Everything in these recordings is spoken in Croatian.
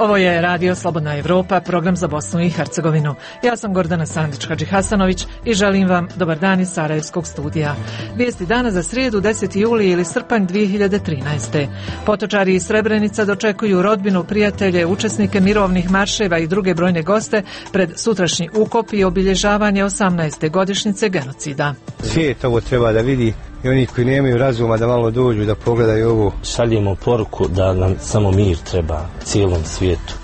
Ovo je Radio Slobodna Evropa, program za Bosnu i Hercegovinu. Ja sam Gordana Sandić-Hadžihasanović i želim vam dobar dan iz Sarajevskog studija. Vijesti dana za srijedu 10. juli ili srpanj 2013. Potočari iz Srebrenica dočekuju rodbinu, prijatelje, učesnike mirovnih marševa i druge brojne goste pred sutrašnji ukop i obilježavanje 18. godišnjice genocida. Svijet ovo treba da vidi i oni koji nemaju razuma da malo dođu da pogledaju ovo. Šaljemo poruku da nam samo mir treba cijelom svijetu.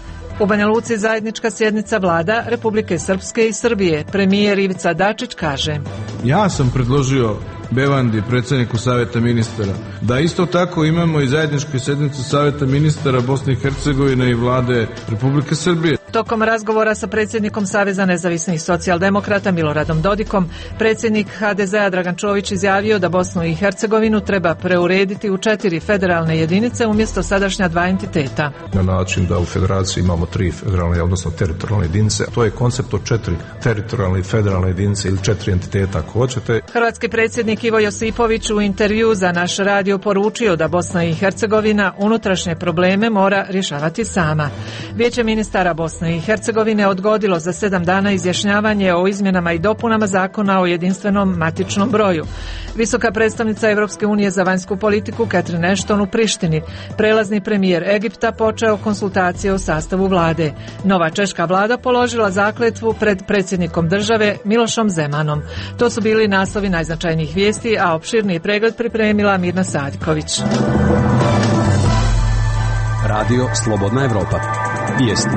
U Banja Luci zajednička sjednica vlada Republike Srpske i Srbije. Premijer Ivica Dačić kaže: Ja sam predložio Bevandi, predsjedniku Savjeta ministara, da isto tako imamo i zajedničku sjednicu Savjeta ministara Bosne i Hercegovine i vlade Republike Srbije. Tokom razgovora sa predsjednikom Saveza nezavisnih socijaldemokrata Miloradom Dodikom, predsjednik HDZ-a Dragan Čović izjavio da Bosnu i Hercegovinu treba preurediti u 4 federalne jedinice umjesto sadašnja 2 entiteta. Na način da u federaciji imamo 3 federalne, odnosno teritorijalne jedinice. To je koncept od 4 teritorijalne i federalne jedinice ili 4 entiteta ako hoćete. Hrvatski predsjednik Ivo Josipović u intervju za naš radio poručio da Bosna i Hercegovina unutrašnje probleme mora rješavati sama. Vijeće ministara Bosne i Hercegovine odgodilo za 7 dana izjašnjavanje o izmjenama i dopunama zakona o jedinstvenom matičnom broju. Visoka predstavnica Europske unije za vanjsku politiku Catherine Ashton u Prištini, prelazni premijer Egipta počeo konsultacije o sastavu vlade. Nova češka vlada položila zakletvu pred predsjednikom države Milošom Zemanom. To su bili naslovi najznačajnijih vijesti, a opširniji pregled pripremila Mirna Sadiković. Radio Slobodna Evropa. Vijesti.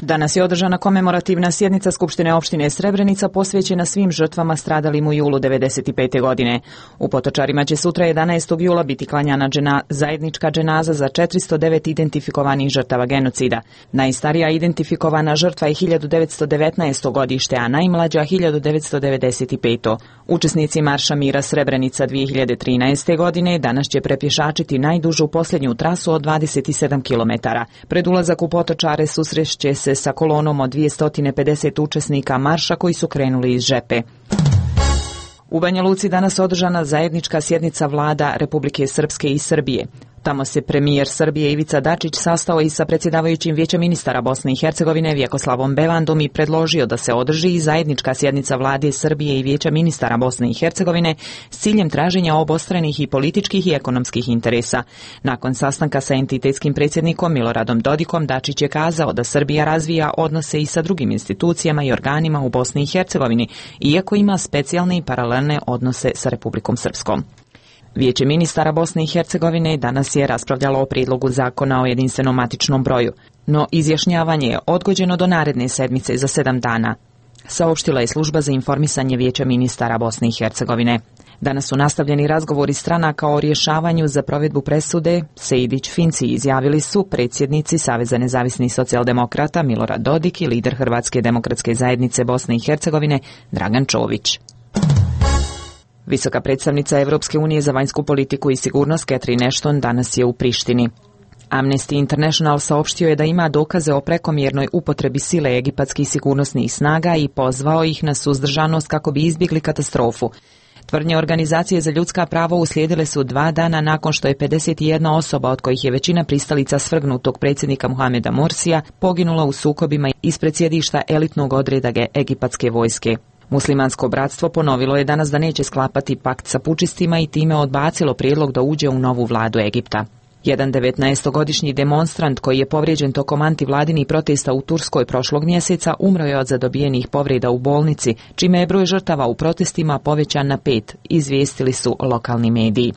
Danas je održana komemorativna sjednica Skupštine opštine Srebrenica posvećena svim žrtvama stradalim u julu 1995. godine. U Potočarima će sutra 11. jula biti klanjana zajednička dženaza za 409 identifikovanih žrtava genocida. Najstarija identifikovana žrtva je 1919. godište, a najmlađa 1995. Učesnici Marša mira Srebrenica 2013. godine danas će prepješačiti najdužu posljednju trasu od 27 km. Pred ulazak u Potočare susrešće se sa kolonom od 250 učesnika marša koji su krenuli iz Žepe. U Banja Luci danas održana zajednička sjednica vlada Republike Srpske i Srbije. Tamo se premijer Srbije Ivica Dačić sastao i sa predsjedavajućim Vijećem ministara Bosne i Hercegovine Vjekoslavom Bevandom i predložio da se održi i zajednička sjednica vlade Srbije i Vijeća ministara Bosne i Hercegovine s ciljem traženja obostranih i političkih i ekonomskih interesa. Nakon sastanka sa entitetskim predsjednikom Miloradom Dodikom, Dačić je kazao da Srbija razvija odnose i sa drugim institucijama i organima u Bosni i Hercegovini, iako ima specijalne i paralelne odnose sa Republikom Srpskom. Vijeće ministara Bosne i Hercegovine danas je raspravljalo o prijedlogu zakona o jedinstvenom matičnom broju, no izjašnjavanje je odgođeno do naredne sedmice za 7 dana, saopštila je služba za informisanje Vijeća ministara Bosne i Hercegovine. Danas su nastavljeni razgovori stranaka o rješavanju za provedbu presude Sejdić-Finci, izjavili su predsjednici Saveza nezavisnih socijaldemokrata Milorad Dodik i lider Hrvatske demokratske zajednice Bosne i Hercegovine Dragan Čović. Visoka predstavnica Europske unije za vanjsku politiku i sigurnost Catherine Ashton danas je u Prištini. Amnesty International saopštio je da ima dokaze o prekomjernoj upotrebi sile egipatskih sigurnosnih snaga i pozvao ih na suzdržanost kako bi izbjegli katastrofu. Tvrdnje organizacije za ljudska prava uslijedile su 2 dana nakon što je 51 osoba, od kojih je većina pristalica svrgnutog predsjednika Mohameda Morsija, poginula u sukobima ispred sjedišta elitnog odreda egipatske vojske. Muslimansko bratstvo ponovilo je danas da neće sklapati pakt sa pučistima i time odbacilo prijedlog da uđe u novu vladu Egipta. Jedan 19-godišnji demonstrant koji je povrijeđen tokom antivladinih protesta u Turskoj prošlog mjeseca umro je od zadobijenih povreda u bolnici, čime je broj žrtava u protestima povećan na 5, izvijestili su lokalni mediji.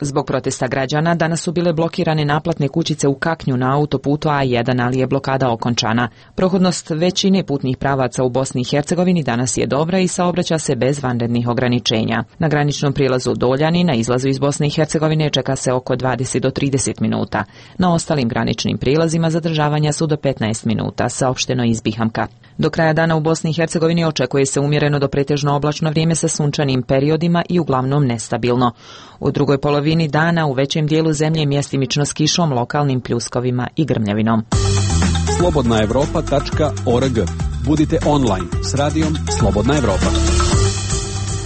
Zbog protesta građana danas su bile blokirane naplatne kućice u Kaknju na autoputu A1, ali je blokada okončana. Prohodnost većine putnih pravaca u Bosni i Hercegovini danas je dobra i saobraća se bez vanrednih ograničenja. Na graničnom prijelazu Doljani na izlazu iz Bosne i Hercegovine čeka se oko 20 do 30 minuta. Na ostalim graničnim prijelazima zadržavanja su do 15 minuta, saopšteno iz Bihamka. Do kraja dana u Bosni i Hercegovini očekuje se umjereno do pretežno oblačno vrijeme sa sunčanim periodima i uglavnom nestabilno. U drugoj polovini dana u većem dijelu zemlje mjestimično s kišom, lokalnim pljuskovima i grmljavinom. slobodnaevropa.org. Budite online s radijom Slobodna Evropa.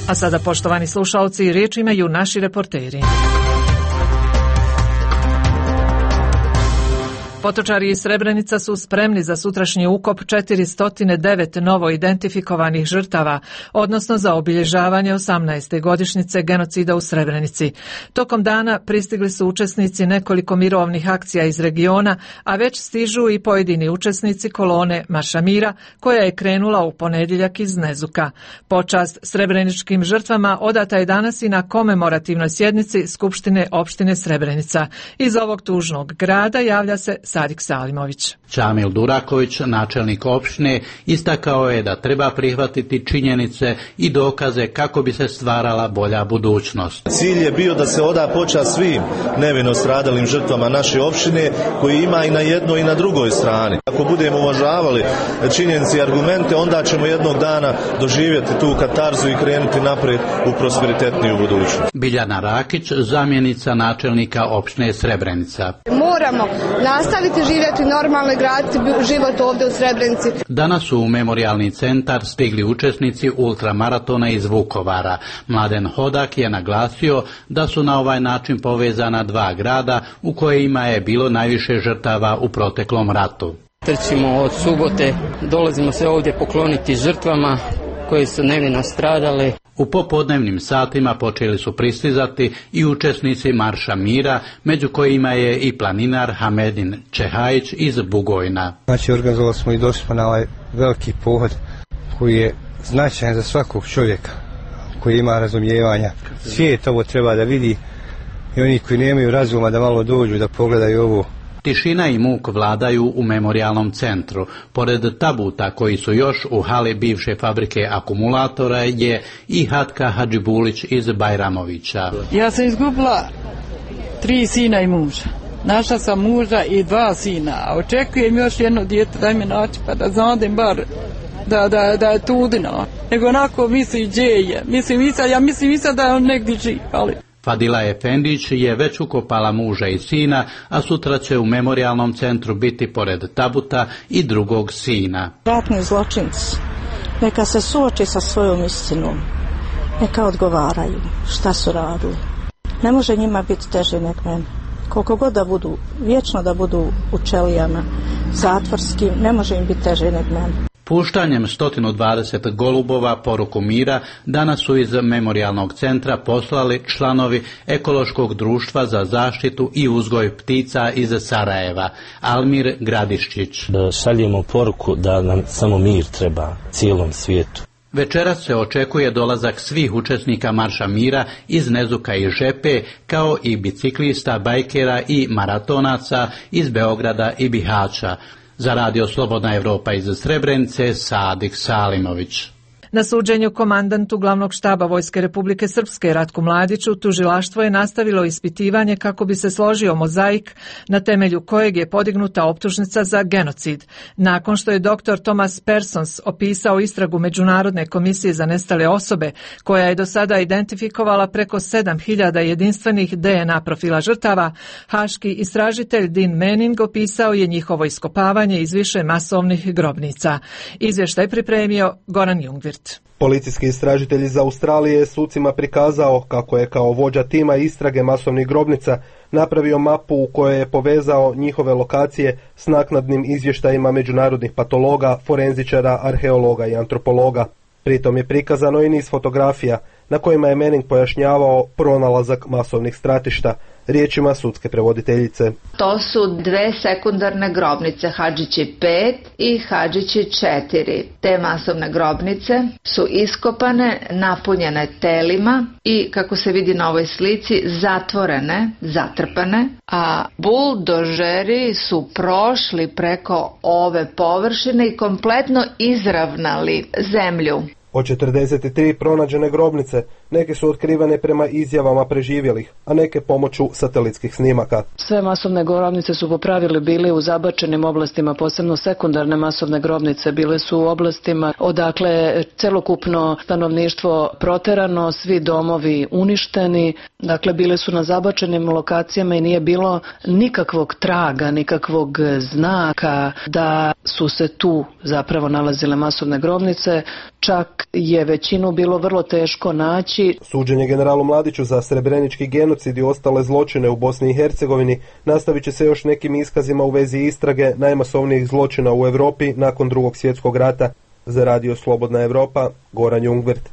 A sada, poštovani slušalci, riječ imaju naši reporteri. Potočari iz Srebrenica su spremni za sutrašnji ukop 409 novo identifikovanih žrtava, odnosno za obilježavanje 18. godišnjice genocida u Srebrenici. Tokom dana pristigli su učesnici nekoliko mirovnih akcija iz regiona, a već stižu i pojedini učesnici kolone Marša mira, koja je krenula u ponedjeljak iz Nezuka. Počast srebreničkim žrtvama odata je danas i na komemorativnoj sjednici Skupštine opštine Srebrenica. Iz ovog tužnog grada javlja se Sadik Salimović. Čamil Duraković, načelnik opštine, istakao je da treba prihvatiti činjenice i dokaze kako bi se stvarala bolja budućnost. Cilj je bio da se oda počast svim nevino stradalim žrtvama naše opštine, koji ima i na jednoj i na drugoj strani. Ako budemo uvažavali činjenice i argumente, onda ćemo jednog dana doživjeti tu katarzu i krenuti naprijed u prosperitetniju budućnost. Biljana Rakić, zamjenica načelnika opštine Srebrenica. Moramo nastaviti živjeti normalno i graditi život ovdje u Srebrenici. Danas su u memorijalni centar stigli učesnici ultramaratona iz Vukovara. Mladen Hodak je naglasio da su na ovaj način povezana dva grada u kojima je bilo najviše žrtava u proteklom ratu. Trčimo od subote, dolazimo se ovdje pokloniti žrtvama koji su nevino stradali. U popodnevnim satima počeli su pristizati i učesnici Marša mira, među kojima je i planinar Hamedin Čehajić iz Bugojna. Znači, organizovali smo i došli na ovaj veliki pohod koji je značajan za svakog čovjeka koji ima razumijevanja. Svijet ovo treba da vidi i oni koji nemaju razuma da malo dođu da pogledaju ovo. Tišina i muk vladaju u memorijalnom centru. Pored tabuta koji su još u hali bivše fabrike akumulatora je i Hatka Hadžibulić iz Bajramovića. Ja sam izgubila 3 sina i muža. Našla sam muža i 2 sina, a očekujem još jedno dijete da mi naći pa da znadem bar da je tudino. Nego onako misli gdje je. Ja mislim da je on negdje živ, ali... Fadila Efendić je već ukopala muža i sina, a sutra će u memorijalnom centru biti pored tabuta i drugog sina. Ratni zločinci, neka se suoči sa svojom istinom, neka odgovaraju šta su radili. Ne može njima biti teže nek meni. Koliko god da budu, vječno da budu u čelijama zatvorskim, ne može im biti teže nek meni. Puštanjem 120 golubova poruku mira danas su iz memorijalnog centra poslali članovi Ekološkog društva za zaštitu i uzgoj ptica iz Sarajeva, Almir Gradiščić. Šaljemo poruku da nam samo mir treba cijelom svijetu. Večeras se očekuje dolazak svih učesnika Marša mira iz Nezuka i Žepe, kao i biciklista, bajkera i maratonaca iz Beograda i Bihaća. Za Radio Slobodna Evropa iz Srebrenice, Sadik Salimović. Na suđenju komandantu glavnog štaba Vojske Republike Srpske Ratku Mladiću tužilaštvo je nastavilo ispitivanje kako bi se složio mozaik na temelju kojeg je podignuta optužnica za genocid. Nakon što je dr. Thomas Persons opisao istragu Međunarodne komisije za nestale osobe, koja je do sada identifikovala preko 7000 jedinstvenih DNA profila žrtava, haški istražitelj Dean Manning opisao je njihovo iskopavanje iz više masovnih grobnica. Izvještaj pripremio Goran Jungvirt. Policijski istražitelj iz Australije je sucima prikazao kako je kao vođa tima istrage masovnih grobnica napravio mapu u kojoj je povezao njihove lokacije s naknadnim izvještajima međunarodnih patologa, forenzičara, arheologa i antropologa. Pritom je prikazano i niz fotografija na kojima je Manning pojašnjavao pronalazak masovnih stratišta, riječima sudske prevoditeljice. To su 2 sekundarne grobnice, Hadžići 5 i Hadžići 4. Te masovne grobnice su iskopane, napunjene telima i, kako se vidi na ovoj slici, zatvorene, zatrpane, a buldožeri su prošli preko ove površine i kompletno izravnali zemlju. Od 43 pronađene grobnice, neke su otkrivene prema izjavama preživjelih, a neke pomoću satelitskih snimaka. Sve masovne grobnice su po pravilu bili u zabačenim oblastima, posebno sekundarne masovne grobnice bile su u oblastima odakle celokupno stanovništvo proterano, svi domovi uništeni, dakle bile su na zabačenim lokacijama i nije bilo nikakvog traga, nikakvog znaka da su se tu zapravo nalazile masovne grobnice. čak je većinu bilo vrlo teško naći. Suđenje generalu Mladiću za srebrenički genocid i ostale zločine u Bosni i Hercegovini nastavit će se još nekim iskazima u vezi istrage najmasovnijih zločina u Europi nakon Drugog svjetskog rata. Za Radio Slobodna Evropa, Goran Jungvert.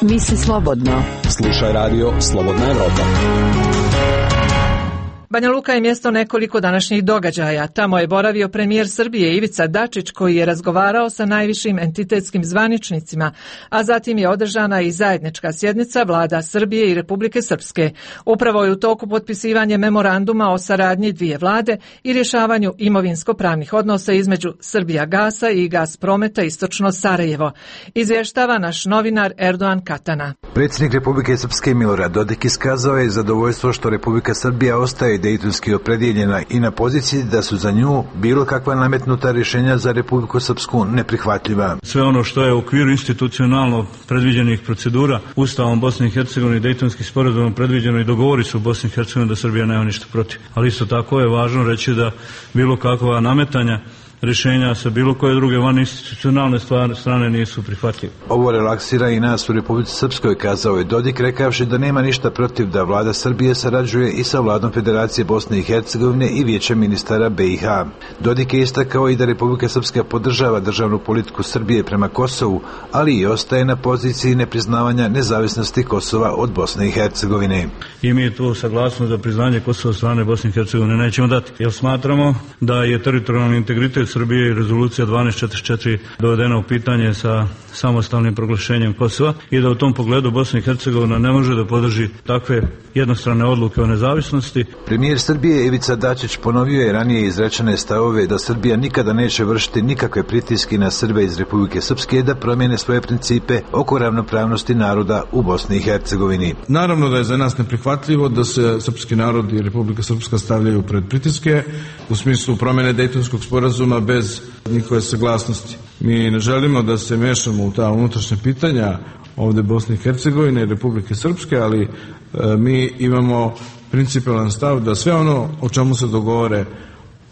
Misli slobodno. Slušaj Radio Slobodna Evropa. Banja Luka je mjesto nekoliko današnjih događaja. Tamo je boravio premijer Srbije Ivica Dačić koji je razgovarao sa najvišim entitetskim zvaničnicima, a zatim je održana i zajednička sjednica vlada Srbije i Republike Srpske. Upravo je u toku potpisivanje memoranduma o saradnji dvije vlade i rješavanju imovinsko-pravnih odnosa između Srbijagasa i Gasprometa Istočno Sarajevo. Izvještava naš novinar Erdogan Katana. Predsjednik Republike Srpske Milorad Dodik iskazao je zadovoljstvo što Republika Srbija ostaje dejtonski opredijeljena i na poziciji da su za nju bilo kakva nametnuta rješenja za Republiku Srpsku neprihvatljiva. Sve ono što je u okviru institucionalno predviđenih procedura Ustavom Bosne i Hercegovine i Dejtonskim sporazumom predviđeno i dogovori su u Bosni i Hercegovini da Srbija nema ništa protiv. Ali isto tako je važno reći da bilo kakva nametanja rješenja sa bilo koje druge vaninstitucionalne strane nisu prihvatljive. Ovo relaksira i nas u Republici Srpskoj, kazao je Dodik, rekavši da nema ništa protiv da vlada Srbije sarađuje i sa vladom Federacije Bosne i Hercegovine i Vijećem ministara BiH. Dodik je istakao i da Republika Srpska podržava državnu politiku Srbije prema Kosovu, ali i ostaje na poziciji nepriznavanja nezavisnosti Kosova od Bosne i Hercegovine. I mi tu saglasnost za priznanje Kosova od strane Bosne i Hercegovine nećemo dati, jer smatramo da je teritorijalni integritet Srbije i rezolucija 1244 dovedena u pitanje sa samostalnim proglašenjem Kosova i da u tom pogledu Bosna i Hercegovina ne može da podrži takve jednostrane odluke o nezavisnosti. Premijer Srbije Ivica Dačić ponovio je ranije izrečene stavove da Srbija nikada neće vršiti nikakve pritiske na Srbe iz Republike Srpske da promijene svoje principe oko ravnopravnosti naroda u Bosni i Hercegovini. Naravno da je za nas neprihvatljivo da se srpski narod i Republika Srpska stavljaju pred pritiske u smislu promjene Dejtonskog sporazuma bez njihove saglasnosti. Mi ne želimo da se mešamo u ta unutrašnja pitanja ovdje Bosne i Hercegovine i Republike Srpske, ali mi imamo principalan stav da sve ono o čemu se dogovore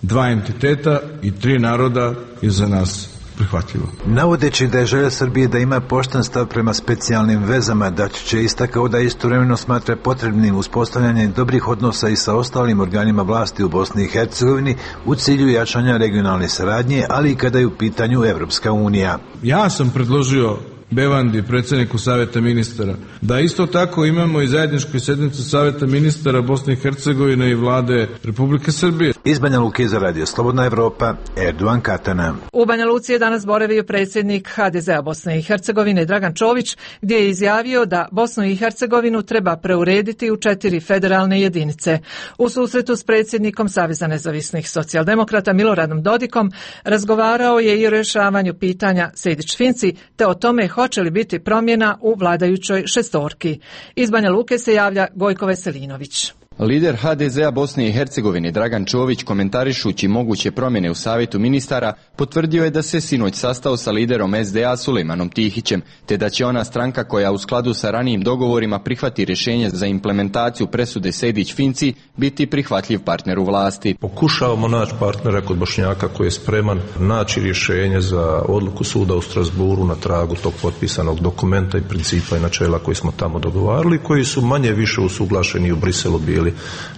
dva entiteta i tri naroda je za nas prihvatljivo. Navodeći da je želja Srbije da ima pošten stav prema specijalnim vezama, Dačić je istakao da istovremeno smatra potrebnim uspostavljanje dobrih odnosa i sa ostalim organima vlasti u Bosni i Hercegovini u cilju jačanja regionalne saradnje, ali i kada je u pitanju Evropska unija. Ja sam predložio Bevandi, predsjedniku Savjeta ministara, da isto tako imamo i zajedničku sjednicu Savjeta ministara Bosne i Hercegovine i vlade Republike Srbije. Iz Banja Luke za Radio Slobodna Evropa, Erdogan Katana. U Banja Luci je danas boravio predsjednik HDZ-a Bosne i Hercegovine Dragan Čović, gdje je izjavio da Bosnu i Hercegovinu treba preurediti u 4 federalne jedinice. U susretu s predsjednikom Saveza nezavisnih socijaldemokrata Miloradom Dodikom razgovarao je i o rješavanju pitanja Sejdić-Finci, te o tome hoće li biti promjena u vladajućoj šestorki. Iz Banja Luke se javlja Gojko Veselinović. Lider HDZ-a Bosne i Hercegovine Dragan Čović, komentarišući moguće promjene u Savjetu ministara, potvrdio je da se sinoć sastao sa liderom SDA Sulejmanom Tihićem, te da će ona stranka koja u skladu sa ranijim dogovorima prihvati rješenje za implementaciju presude Sejdić-Finci biti prihvatljiv partner u vlasti. Pokušavamo naći partnera kod Bošnjaka koji je spreman naći rješenje za odluku suda u Strasburu na tragu tog potpisanog dokumenta i principa i načela koji smo tamo dogovarali, koji su manje više usuglašeni u Briselu bili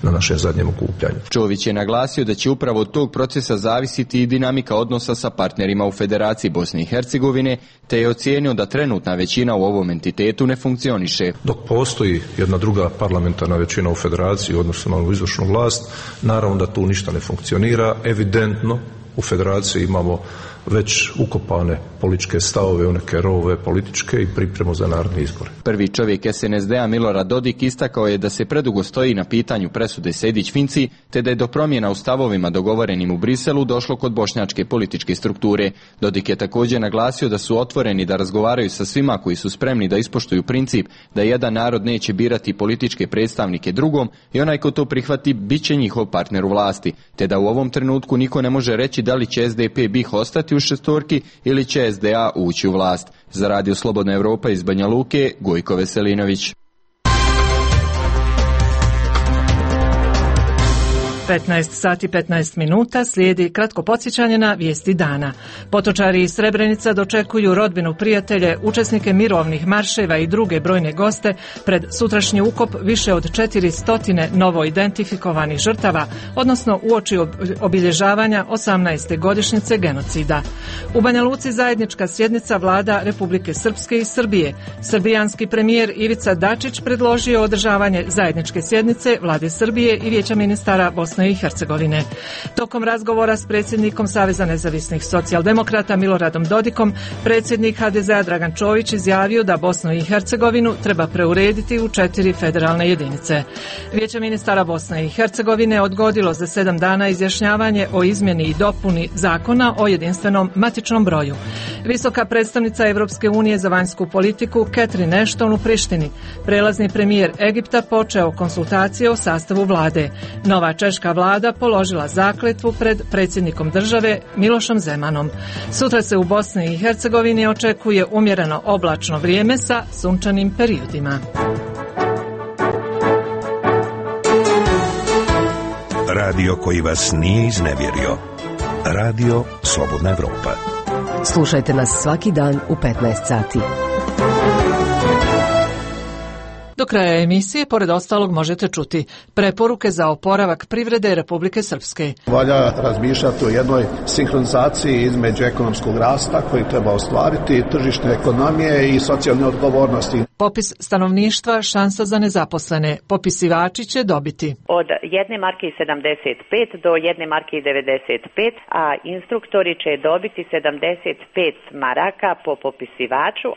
na našem zadnjem okupljanju. Čović je naglasio da će upravo od tog procesa zavisiti i dinamika odnosa sa partnerima u Federaciji Bosne i Hercegovine, te je ocijenio da trenutna većina u ovom entitetu ne funkcioniše. Dok postoji jedna druga parlamentarna većina u Federaciji, odnosno na izvršnu vlast, naravno da tu ništa ne funkcionira. Evidentno u Federaciji imamo već ukopane političke stavove u neke rovove političke i pripremu za narodne izbore. Prvi čovjek SNSD-a Milorad Dodik istakao je da se predugo stoji na pitanju presude Sejdić-Finci, te da je do promjena u stavovima dogovorenim u Briselu došlo kod bošnjačke političke strukture. Dodik je također naglasio da su otvoreni da razgovaraju sa svima koji su spremni da ispoštuju princip da jedan narod neće birati političke predstavnike drugom i onaj ko to prihvati bit će njihov partner u vlasti, te da u ovom trenutku niko ne može reći da li će SDP BiH ostati u šestorki ili će SDA ući u vlast. Za Radio Slobodna Evropa iz Banja Luke, Gojko Veselinović. 15 sati 15 minuta slijedi kratko podsjećanje na vijesti dana. Potočari iz Srebrenica dočekuju rodbinu, prijatelje, učesnike mirovnih marševa i druge brojne goste pred sutrašnji ukop više od 400 novo identifikovanih žrtava, odnosno uoči obilježavanja 18. godišnjice genocida. U Banja Luci zajednička sjednica vlada Republike Srpske i Srbije. Srbijanski premijer Ivica Dačić predložio održavanje zajedničke sjednice vlade Srbije i Vijeća ministara Bosne i Hercegovine. Tokom razgovora s predsjednikom Saveza nezavisnih socijaldemokrata Miloradom Dodikom, predsjednik HDZ-a Dragan Čović izjavio da Bosnu i Hercegovinu treba preurediti u 4 federalne jedinice. Vijeće ministara Bosne i Hercegovine odgodilo za 7 dana izjašnjavanje o izmjeni i dopuni zakona o jedinstvenom matičnom broju. Visoka predstavnica Europske unije za vanjsku politiku Catherine Ashton u Prištini. Prelazni premijer Egipta počeo konsultacije o sastavu vlade. Nova češka vlada položila zakletvu pred predsjednikom države Milošom Zemanom. Sutra se u Bosni i Hercegovini očekuje umjereno oblačno vrijeme sa sunčanim periodima. Radio koji vas nije iznevjerio. Radio Slobodna Evropa. Slušajte nas svaki dan u 15 sati. Do kraja emisije, pored ostalog, možete čuti preporuke za oporavak privrede Republike Srpske. Valja razmišljati o jednoj sinhronizaciji između ekonomskog rasta koji treba ostvariti, tržišne ekonomije i socijalne odgovornosti. Popis stanovništva, šansa za nezaposlene. Popisivači će dobiti od 1 marke i 75 do 1 marke i 95, a instruktori će dobiti 75 maraka po popisivaču.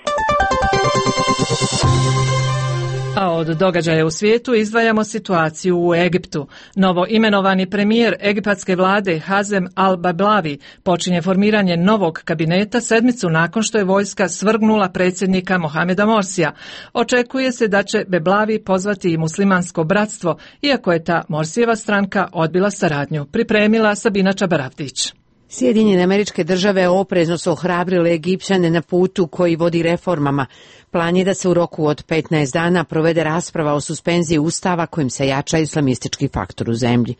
A od događaja u svijetu izdvajamo situaciju u Egiptu. Novo imenovani premijer egipatske vlade Hazem al-Bablavi počinje formiranje novog kabineta sedmicu nakon što je vojska svrgnula predsjednika Mohameda Morsija. Očekuje se da će Bablavi pozvati i muslimansko bratstvo, iako je ta Morsijeva stranka odbila saradnju. Pripremila Sabina Čabaravdić. Sjedinjene Američke Države oprezno su ohrabrile Egipćane na putu koji vodi reformama. Plan je da se u roku od 15 dana provede rasprava o suspenziji ustava kojim se jača islamistički faktor u zemlji.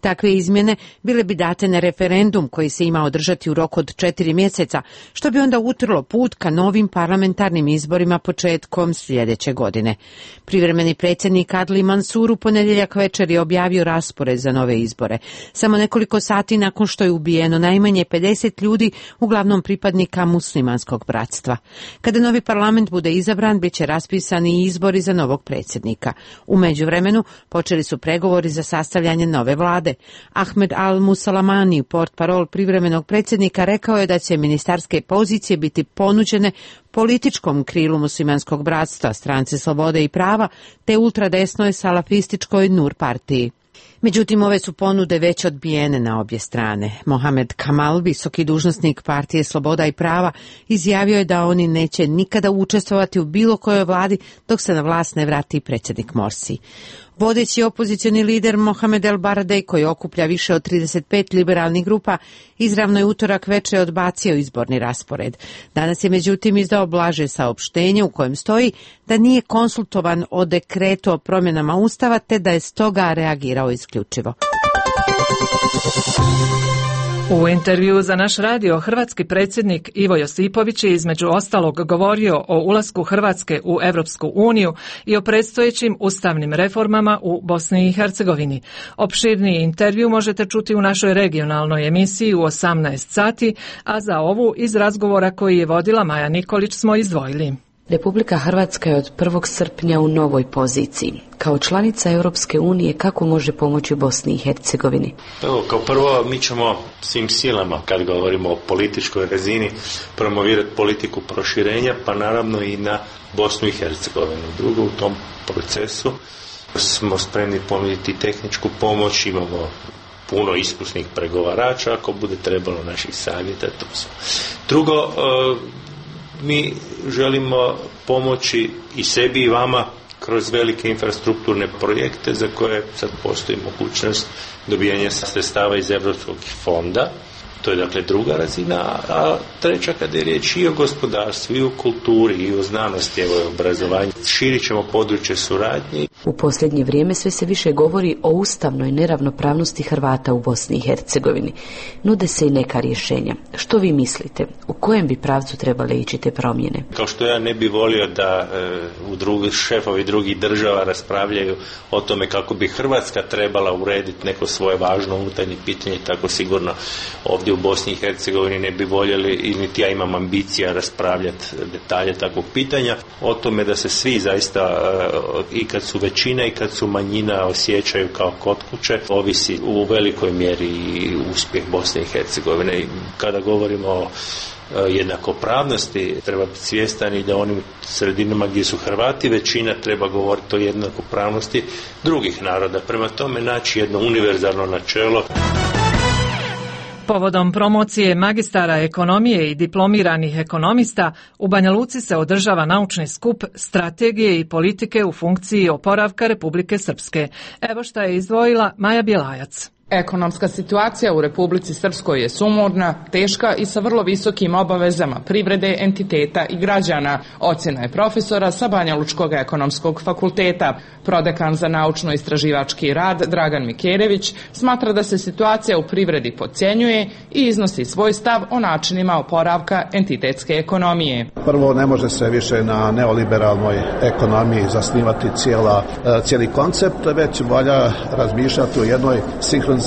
Takve izmjene bile bi date na referendum koji se ima održati u roku od 4 mjeseca, što bi onda utrlo put ka novim parlamentarnim izborima početkom sljedeće godine. Privremeni predsjednik Adli Mansur u ponedjeljak večer je objavio raspored za nove izbore. Samo nekoliko sati nakon što je ubijeno najmanje 50 ljudi, uglavnom pripadnika muslimanskog bratstva. Kada novi parlament bude izabran, bit će raspisani izbori za novog predsjednika. U međuvremenu počeli su pregovori za sastavljanje nove vlade. Ahmed al-Musalamani, portparol privremenog predsjednika, rekao je da će ministarske pozicije biti ponuđene političkom krilu muslimanskog bratstva, stranci Slobode i prava, te ultradesnoj salafističkoj Nur partiji. Međutim, ove su ponude već odbijene na obje strane. Mohamed Kamal, visoki dužnosnik partije Sloboda i prava, izjavio je da oni neće nikada učestvovati u bilo kojoj vladi dok se na vlast ne vrati predsjednik Morsi. Vodeći opozicioni lider Mohamed El Baradej, koji okuplja više od 35 liberalnih grupa, izravno je utorak večer odbacio izborni raspored. Danas je međutim izdao blaže saopštenje u kojem stoji da nije konsultovan o dekretu o promjenama ustava, te da je stoga reagirao isključivo. U intervju za naš radio hrvatski predsjednik Ivo Josipović je između ostalog govorio o ulasku Hrvatske u Europsku uniju i o predstojećim ustavnim reformama u Bosni i Hercegovini. Opširniji intervju možete čuti u našoj regionalnoj emisiji u 18 sati, a za ovu iz razgovora koji je vodila Maja Nikolić smo izdvojili. Republika Hrvatska je od 1. srpnja u novoj poziciji. Kao članica Europske unije, kako može pomoći Bosni i Hercegovini? Evo, kao prvo, mi ćemo svim silama, kad govorimo o političkoj razini, promovirati politiku proširenja, pa naravno i na Bosnu i Hercegovinu. Drugo, u tom procesu smo spremni ponuditi tehničku pomoć, imamo puno iskusnih pregovarača, ako bude trebalo naših savjeta, to smo. Drugo, mi želimo pomoći i sebi i vama kroz velike infrastrukturne projekte za koje sad postoji mogućnost dobijanja sredstava iz Europskog fonda. To je dakle druga razina, a treća kada je riječ i o gospodarstvu, i o kulturi, i o znanosti, evo i obrazovanju. Širit ćemo područje suradnje. U posljednje vrijeme sve se više govori o ustavnoj neravnopravnosti Hrvata u Bosni i Hercegovini. Nude se i neka rješenja. Što vi mislite? U kojem bi pravcu trebale ići te promjene? Kao što ja ne bi volio da šefovi drugih država raspravljaju o tome kako bi Hrvatska trebala urediti neko svoje važno unutarnje pitanje, tako sigurno ovdje u Bosni i Hercegovini ne bi voljeli i niti ja imam ambicija raspravljati detalje takvog pitanja. O tome da se svi zaista i kad su većina i kad su manjina osjećaju kao kod kuće, ovisi u velikoj mjeri i uspjeh Bosne i Hercegovine. I kada govorimo o jednakopravnosti, treba biti svjestan i da onim sredinama gdje su Hrvati većina treba govoriti o jednakopravnosti drugih naroda. Prema tome naći jedno univerzalno načelo. Povodom promocije magistara ekonomije i diplomiranih ekonomista, u Banja Luci se održava naučni skup strategije i politike u funkciji oporavka Republike Srpske. Evo šta je izdvojila Maja Bjelajac. Ekonomska situacija u Republici Srpskoj je sumorna, teška i sa vrlo visokim obavezama privrede, entiteta i građana, ocjena je profesora sa Banja Lučkog ekonomskog fakulteta. Prodekan za naučno-istraživački rad Dragan Mikerević smatra da se situacija u privredi podcjenjuje i iznosi svoj stav o načinima oporavka entitetske ekonomije. Prvo, ne može se više na neoliberalnoj ekonomiji zasnivati cijeli koncept, već valja razmišljati o jednoj sinhronizaciji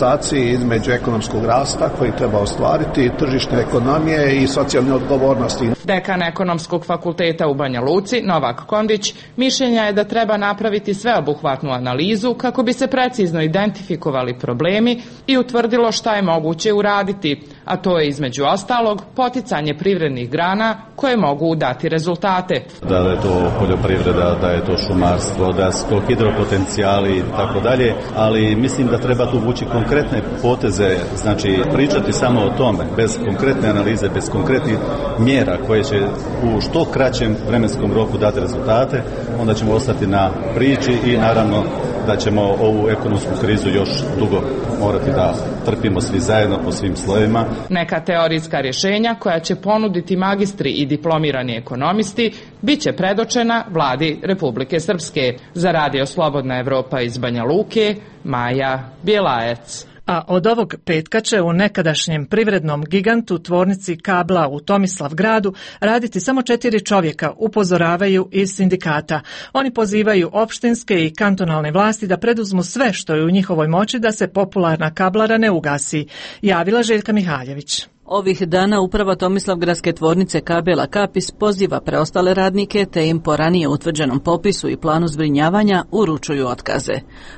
između ekonomskog rasta koji treba ostvariti, tržišne ekonomije i socijalne odgovornosti. Dekan ekonomskog fakulteta u Banja Luci, Novak Kondić, mišljenja je da treba napraviti sveobuhvatnu analizu kako bi se precizno identifikovali problemi i utvrdilo šta je moguće uraditi, a to je između ostalog poticanje privrednih grana koje mogu dati rezultate. Da je to poljoprivreda, da je to šumarstvo, da su to hidropotencijali i tako dalje, ali mislim da treba tu vući konkretne poteze, znači pričati samo o tome, bez konkretne analize, bez konkretnih mjera koje će u što kraćem vremenskom roku dati rezultate, onda ćemo ostati na priči i naravno da ćemo ovu ekonomsku krizu još dugo morati da trpimo svi zajedno po svim slojevima. Neka teorijska rješenja koja će ponuditi magistri i diplomirani ekonomisti bit će predočena vladi Republike Srpske. Za Radio Slobodna Evropa iz Banja Luke, Maja Bjelajac. A od ovog petka će u nekadašnjem privrednom gigantu tvornici kabla u Tomislavgradu raditi samo 4 čovjeka, upozoravaju iz sindikata. Oni pozivaju opštinske i kantonalne vlasti da preduzmu sve što je u njihovoj moći da se popularna kablara ne ugasi, javila Željka Mihaljević. Ovih dana uprava Tomislavgradske tvornice kabela Kapis poziva preostale radnike te im po ranije utvrđenom popisu i planu zbrinjavanja uručuju otkaze.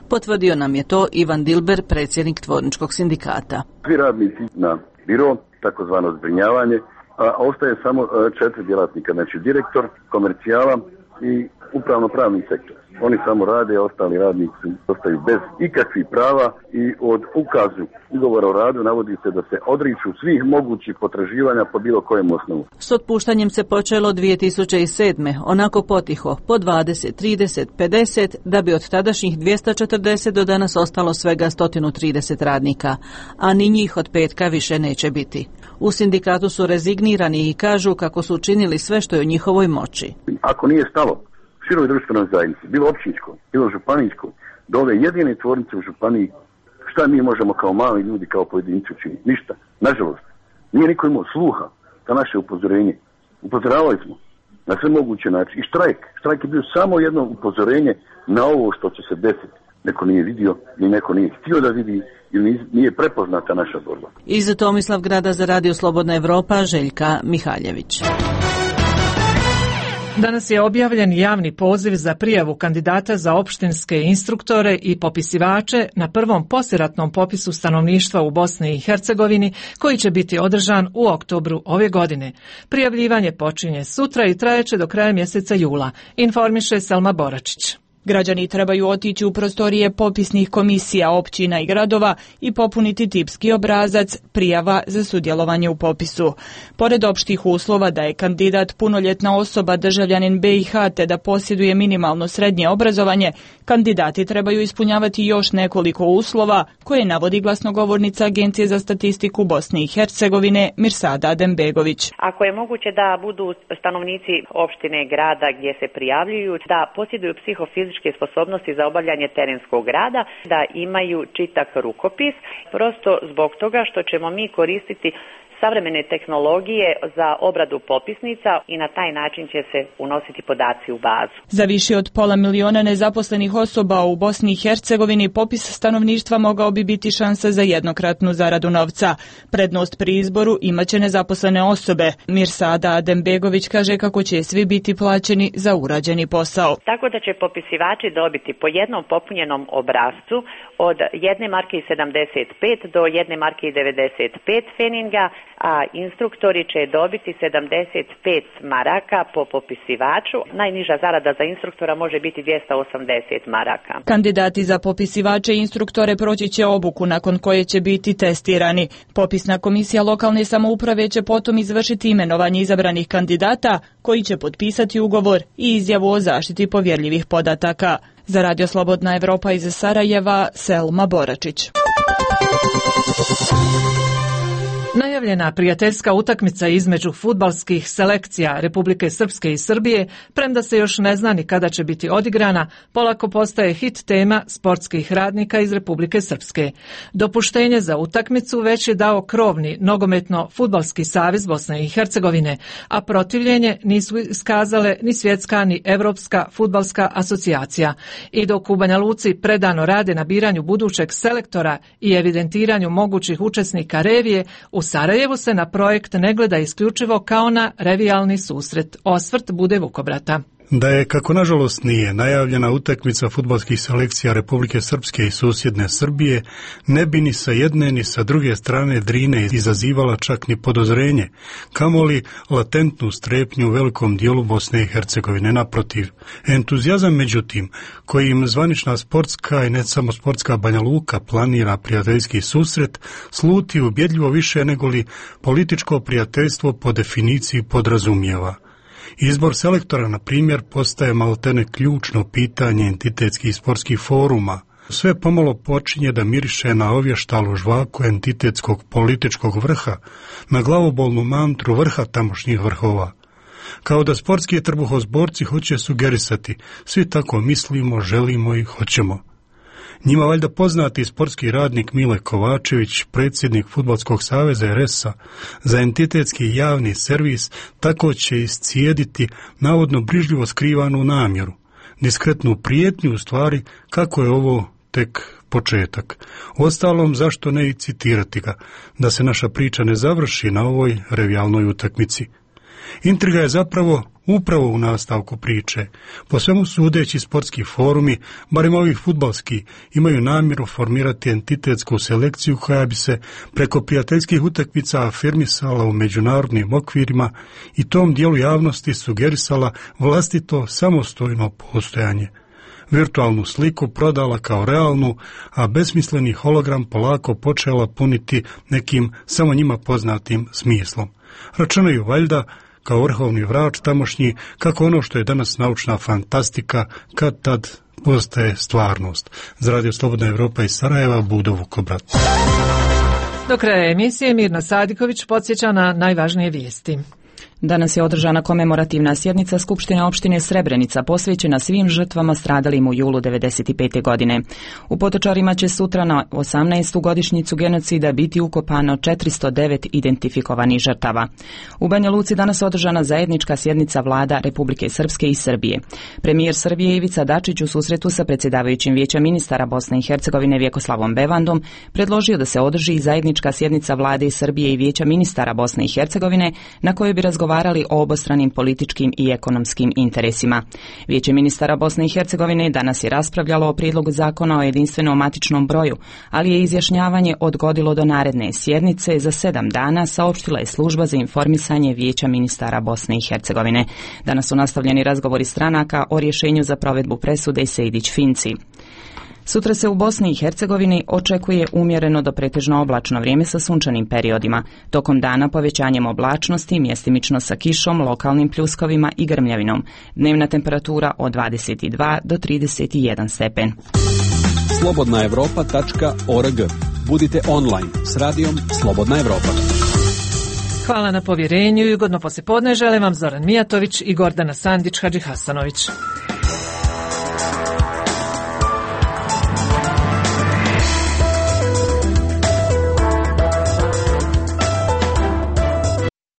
Potvrdio nam je to Ivan Dilber, predsjednik tvorničkog sindikata. Svi radnici na biro, takozvano zbrinjavanje, a ostaje samo 4 djelatnika, znači direktor, komercijala i upravno-pravni sektor. Oni samo rade, ostali radnici ostaju bez ikakvih prava i od ukazu ugovora o radu navodi se da se odriču svih mogućih potraživanja po bilo kojem osnovu. S otpuštanjem se počelo 2007. onako potiho, po 20, 30, 50, da bi od tadašnjih 240 do danas ostalo svega 130 radnika, a ni njih od petka više neće biti. U sindikatu su rezignirani i kažu kako su učinili sve što je u njihovoj moći. Ako nije stalo široj društvenoj zajednici, bilo općinsko, bilo županijsko, do ove jedine tvornice u županiji, šta mi možemo kao mali ljudi, kao pojedinci učiniti? Ništa. Nažalost, nije niko imao sluha za naše upozorenje. Upozoravali smo na sve moguće načine. I štrajk je bio samo jedno upozorenje na ovo što će se desiti. Neko nije vidio, ni neko nije htio da vidi ili nije prepoznata naša borba. Iz Tomislavgrada za Radio Slobodna Evropa, Željka Mihaljević. Danas je objavljen javni poziv za prijavu kandidata za opštinske instruktore i popisivače na prvom poslijeratnom popisu stanovništva u Bosni i Hercegovini koji će biti održan u oktobru ove godine. Prijavljivanje počinje sutra i trajeće do kraja mjeseca jula, informiše Selma Boračić. Građani trebaju otići u prostorije popisnih komisija općina i gradova i popuniti tipski obrazac prijava za sudjelovanje u popisu. Pored opštih uslova da je kandidat punoljetna osoba državljanin BiH te da posjeduje minimalno srednje obrazovanje, kandidati trebaju ispunjavati još nekoliko uslova koje navodi glasnogovornica Agencije za statistiku Bosne i Hercegovine Mirsada Adembegović. Ako je moguće da budu stanovnici opštine, grada gdje se prijavljuju, da posjeduju psihofizičke sposobnosti za obavljanje terenskog rada, da imaju čitak rukopis, prosto zbog toga što ćemo mi koristiti savremene tehnologije za obradu popisnica i na taj način će se unositi podaci u bazu. Za više od 500.000 nezaposlenih osoba u Bosni i Hercegovini popis stanovništva mogao bi biti šansa za jednokratnu zaradu novca. Prednost pri izboru imaće nezaposlene osobe. Mirsada Adembegović kaže kako će svi biti plaćeni za urađeni posao. Tako da će popisivači dobiti po jednom popunjenom obrascu od 1 marke i 75 do 1 marke i 95 feninga, a instruktori će dobiti 75 maraka po popisivaču. Najniža zarada za instruktora može biti 280 maraka. Kandidati za popisivače i instruktore proći će obuku nakon koje će biti testirani. Popisna komisija lokalne samouprave će potom izvršiti imenovanje izabranih kandidata koji će potpisati ugovor i izjavu o zaštiti povjerljivih podataka. Za Radio Slobodna Evropa iz Sarajeva, Selma Boračić. Najavljena prijateljska utakmica između fudbalskih selekcija Republike Srpske i Srbije, premda se još ne zna ni kada će biti odigrana, polako postaje hit tema sportskih radnika iz Republike Srpske. Dopuštenje za utakmicu već je dao krovni nogometno-fudbalski savez Bosne i Hercegovine, a protivljenje nisu iskazale ni svjetska ni Evropska fudbalska asocijacija. I dok u Banja Luci predano rade na biranju budućeg selektora i evidentiranju mogućih učesnika revije, u Sarajevu se na projekt ne gleda isključivo kao na revijalni susret. Osvrt Bude Vukobrata. Da je, kako nažalost nije, najavljena utakmica fudbalskih selekcija Republike Srpske i susjedne Srbije, ne bi ni sa jedne ni sa druge strane Drine izazivala čak ni podozrenje, kamoli latentnu strepnju u velikom dijelu Bosne i Hercegovine. Naprotiv, entuzijazam međutim, kojim zvanična sportska i ne samo sportska Banja Luka planira prijateljski susret, sluti ubjedljivo više negoli političko prijateljstvo po definiciji podrazumijeva. Izbor selektora, na primjer, postaje maltene ključno pitanje entitetskih sportskih foruma. Sve pomalo počinje da miriše na ovještalu žvaku entitetskog političkog vrha, na glavobolnu mantru vrha tamošnjih vrhova. Kao da sportski trbuhozborci hoće sugerisati, svi tako mislimo, želimo i hoćemo. Njima valjda poznati sportski radnik Mile Kovačević, predsjednik Fudbalskog saveza RS-a, za entitetski javni servis tako će iscijediti navodno brižljivo skrivanu namjeru, diskretnu prijetnju u stvari kako je ovo tek početak. Uostalom, zašto ne i citirati ga, da se naša priča ne završi na ovoj revijalnoj utakmici. Intriga je zapravo upravo u nastavku priče. Po svemu sudeći sportski forumi, barem ovih fudbalski, imaju namjeru formirati entitetsku selekciju koja bi se preko prijateljskih utakmica afirmisala u međunarodnim okvirima i tom dijelu javnosti sugerisala vlastito samostojno postojanje. Virtualnu sliku prodala kao realnu, a besmisleni hologram polako počela puniti nekim samo njima poznatim smislom. Računaju valjda kao vrhovni vrač tamošnji, kako ono što je danas naučna fantastika, kad tad postaje stvarnost. Za Radio Slobodna Evropa iz Sarajeva, Budo Vukobrat. Do kraja emisije Mirna Sadiković podsjeća na najvažnije vijesti. Danas je održana komemorativna sjednica Skupštine opštine Srebrenica posvećena svim žrtvama stradalim u julu 1995. godine. U Potočarima će sutra na 18. godišnjicu genocida biti ukopano 409 identifikovanih žrtava. U Banja Luci danas održana zajednička sjednica vlada Republike Srpske i Srbije. Premijer Srbije Ivica Dačić u susretu sa predsjedavajućim Vijeća ministara Bosne i Hercegovine Vjekoslavom Bevandom predložio da se održi zajednička sjednica vlade Srbije i Vijeća ministara Bosne i Hercegovine na kojoj bi razgovarali razgovarali o obostranim političkim i ekonomskim interesima. Vijeće ministara Bosne i Hercegovine danas je raspravljalo o prijedlogu zakona o jedinstvenom matičnom broju, ali je izjašnjavanje odgodilo do naredne sjednice za 7 dana, saopštila je služba za informisanje Vijeća ministara Bosne i Hercegovine. Danas su nastavljeni razgovori stranaka o rješenju za provedbu presude Sejdić-Finci. Sutra se u Bosni i Hercegovini očekuje umjereno do pretežno oblačno vrijeme sa sunčanim periodima. Tokom dana povećanjem oblačnosti, mjestimično sa kišom, lokalnim pljuskovima i grmljavinom. Dnevna temperatura od 22 do 31 stepen. slobodnaevropa.org. Budite online s radijom Slobodna Evropa. Hvala na povjerenju i ugodno poslijepodne želim vam Zoran Mijatović i Gordana Sandić Hadžihasanović.